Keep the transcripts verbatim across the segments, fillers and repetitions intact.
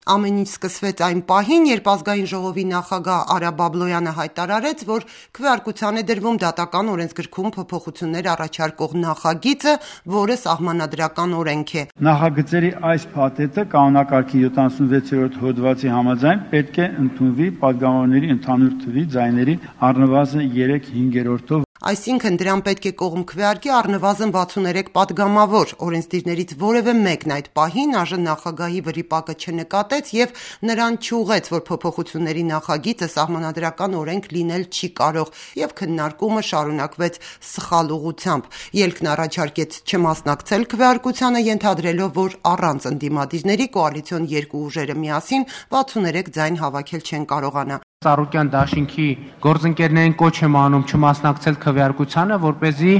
Ամեն ինչ սկսվեց այն պահին, երբ ազգային ժողովի նախագահ Արա Բաբլոյանը հայտարարեց, որ քվեարկության է դրվում դատական օրենսգրքում փոփոխություններ առաջարկող նախագիծը, որը սահմանադրական օրենք է։ Նախագծերի այս փաթեթը կանոնակարգի յոթանասունվեցերորդ հոդվածի համաձայն պետք է ընդունվի падգամավորների ընդհանուր թվի ձայների առնվազն երեք հինգերորդով։ Այսինքն դրան պետք է կողմ քվեարկի առնվազն վաթսուններեք падգամավոր։ Օրենսդիրներից որևէ մեկն այդ պահին ԱԺ նախագահի վրիպակը չնկատեց եւ նրան չուղեց, որ փոփոխությունների նախագիծը սահմանադրական օրենք լինել չի կարող, եւ քննարկումը շարունակվեց սխալ ուղղությամբ։ Ելքն առաջարկեց չմասնակցել քվեարկությանը, ենթադրելով, որ առանց ընդդիմադիրների կոալիցիոն երկու ուժերը միասին վաթսուններեք ձայն հավաքել չեն կարողանա։ Ծառուկյան դաշինքի գործընկերներին կոչ եմ անում չմասնակցել քվեարկությանը, որպեսզի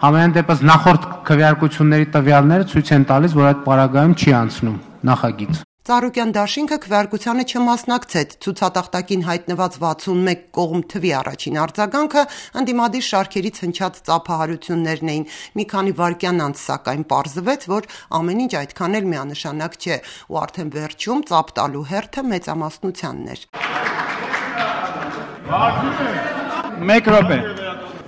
համենայն դեպս նախորդ քվեարկությունների տվյալները ցույց են տալիս, որ այդ պարագայում չի անցնում նախագիծ։ Ծառուկյան դաշինքը քվեարկությանը չմասնակցեց, ցուցատախտակին հայտնված վաթսունմեկ կողմ թվի առաջին արձագանքը ընդդիմադիր շարքերից հնչած ծափահարություններն էին։ Մի քանի վայրկյան անց սակայն պարզվեց, որ ամեն ինչ այդքան էլ միանշանակ չէ, ու արդեն վերջում ծափ տալու հերթը մեծամասնությանն էր։ Մեկ րոպե։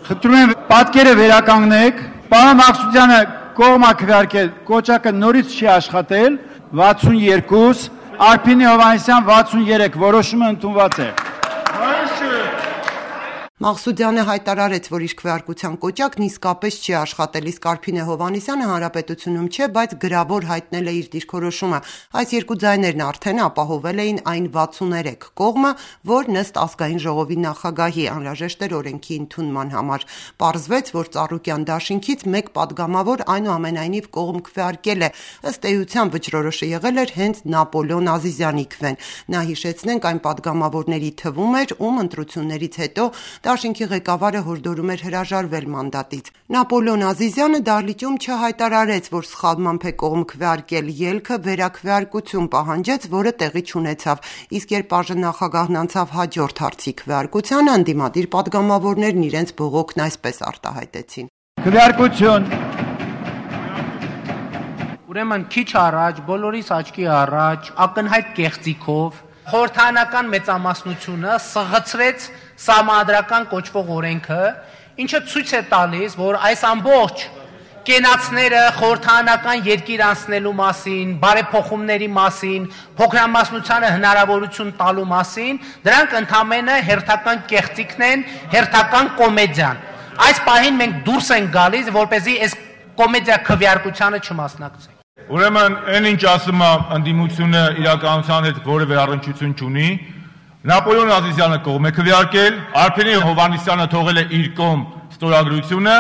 Խնդրում եմ պատկերը վերականգնեք։ Պարոն Մակսուդյանը կողմ է քվեարկել, կոճակը նորից չի աշխատել, վաթսունյոթ, Արփինե Հովհաննիսյան վաթսունյոթ, որոշումը ընդունված է։ Մաղսուդյանը հայտարարեց, որ իր քվեարկության կոճակն իսկապես չի աշխատել, իսկ Արփինե Հովհաննիսյանը հանրապետությունում չէ, բայց գրավոր հայտնել է իր դիրքորոշումը։ Այս երկու ձայներն արդեն ապահովել էին այն վաթսուներեք կողմը, որ ըստ ազգային ժողովի նախագահի անհրաժեշտ էր օրենքի ընդունման համար։ Պարզվեց, որ Ծառուկյան դաշինքից մեկ падգամավոր այնուամենայնիվ կողմ քվեարկել է։ Ըստ էության վճռորոշը եղել էր հենց Նապոլեոն Ազիզյանի քվեն։ Նա, հիշեցնենք, այն падգամավորների թվում էր, ում ընտրություններից հետո Դաշինքի ղեկավարը հորդորում էր հրաժարվել մանդատից։ Նապոլեոն Ազիզյանը դահլիճում չհայտարարեց, որ սխալմամբ է կողմ քվեարկել, ելքը վերաքվեարկություն պահանջեց, որը տեղի չունեցավ։ Իսկ երբ ԱԺ նախագահն անցավ հաջորդ հարցի քվեարկությանը, ընդդիմադիր падգամավորներն իրենց բողոքն այսպես արտահայտեցին։ Քվեարկություն։ Ուրեմն քիչ առաջ, բոլորիս աչքի առաջ, ակնհայտ կեղծիքով խորհրդարանական մեծամասնությունը սղացրեց սահմանադրական կոչվող օրենքը, ինչը ցույց է տալիս, որ այս ամբողջ կենացները խորհրդարանական երկիր անցնելու մասին, բարեփոխումների մասին, փոքրամասնությանը հնարավորություն տալու մասին, դրանք ընդամենը հերթական կեղծիքն են, հերթական կոմեդիան։ Այս պահին մենք դուրս ենք գալիս, որպեսզի այս կոմեդիա քվեարկությանը չմասնակցենք։ Ուրեմն այն ինչ ասում է ընդդիմությունը իրականության հետ որևէ առնչություն չունի։ Նապոլեոն Ազիզյանը կողմ է քվեարկել, Արփինե Հովհաննիսյանը թողել է իր կողմ ստորագրությունը,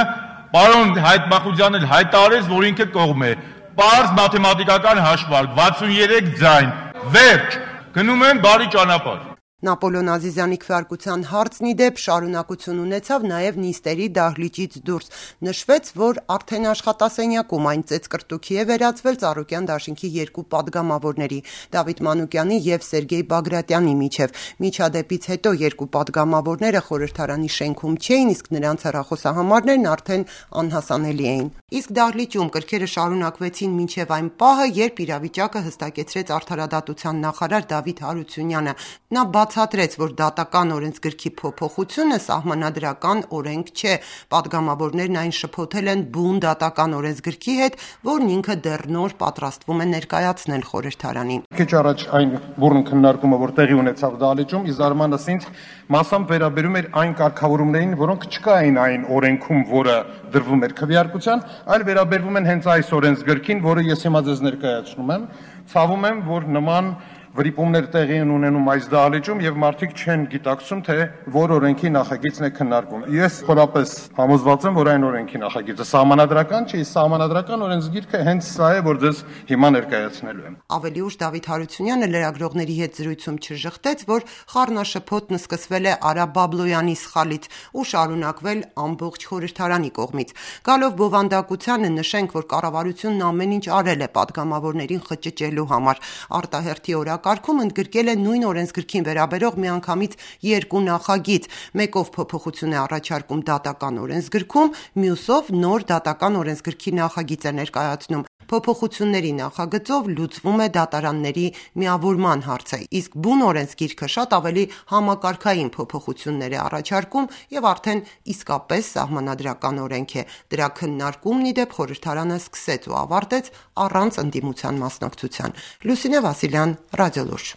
պարոն Հայկ Մախուդյանն էլ հայտարարեց, որ ինքը կողմ է։ Պարզ մաթեմատիկական հաշվարկ, վաթսունյոթ ձայն, վերջ, գնում են բարի ճանապարհ։ Նապոլեոն Ազիզյանի քվեարկության հարցն ի դեպ շարունակություն ունեցավ նաև նիստերի դահլիճից դուրս։ Նշվեց, որ արդեն աշխատասենյակում այն ծեծկրտուքի է վերածվել Ծառուկյան դաշինքի երկու падգամավորների՝ Դավիթ Մանուկյանի եւ Սերգեյ Բագրատյանի միջև։ Միջադեպից հետո երկու падգամավորները խորհրդարանի շենքում չէին, իսկ նրանց հեռախոսահամարներն արդեն անհասանելի էին։ Իսկ դահլիճում կրքերը շարունակվեցին մինչև այն պահը, երբ իրավիճակը հստակեցրեց արդարադատության նախարար Դավիթ Հարությունյանը։ Նա բացատրեց, որ դատական օրենսգրքի փոփոխությունը սահմանադրական օրենք չէ։ Պատգամավորներն այն շփոթել են բուն դատական օրենսգրքի հետ, որն ինքը դեռ նոր պատրաստվում է ներկայացնել խորհրդարանին։ Քիչ առաջ այն բուրըն քննարկումը, որ տեղի ունեցավ դահլիճում, ի զարմանս ինձ մասամբ վերաբերում էր այն կարգավորումներին, որոնք չկային այն օրենքում, որը դրվում էր քվեարկության, այլ վերաբերվում են հենց այս օրենսգրքին, որը ես հիմա ձեզ ներկայացնում եմ։ Ցավում եմ, որ նման վրիպումներ տեղի են ունենում այս դահլիճում եւ մարդիկ չեն գիտակցում, թե որ օրենքի նախագիծն է քննարկվում։ Ես խորապես համոզված եմ, որ այն օրենքի նախագիծը սահմանադրական չէ, սահմանադրական օրենսգիրքը հենց սա է, որ ձեզ հիմա ներկայացնելու եմ։ Ավելի ուշ Դավիթ Հարությունյանը լրագրողների հետ զրույցում չժխտեց, որ խառնաշփոթն սկսվել է Արա Բաբլոյանի սխալից ու շարունակվել ամբողջ խորհրդարանի կողմից։ Գալով բովանդակությանը նշենք, որ կառավարությունն ամեն ինչ արել է պատգամավորներին խճճելու համար։ Արտահերթի օրակարգում ընդգրկել է նույն օրենսգրքին վերաբերող միանգամից երկու նախագիծ, մեկով փոփոխություն է առաջարկում դատական օրենսգրքում, մյուսով նոր դատական օրենսգրքի նախագիծ է ներկայացնում։ Փոփոխությունների նախագծով լուծվում է դատարանների միավորման հարցը, իսկ բուն օրենսգիրքը շատ ավելի համակարգային փոփոխություններ է առաջարկում եւ արդեն իսկապես սահմանադրական օրենք է։ Դրա քննարկումն ի դեպ խորհրդարանը սկսեց ու ավարտեց առանց ընդդիմության մասնակցության։ Լուսինե Վասիլյան, Ռադիոլուրջ։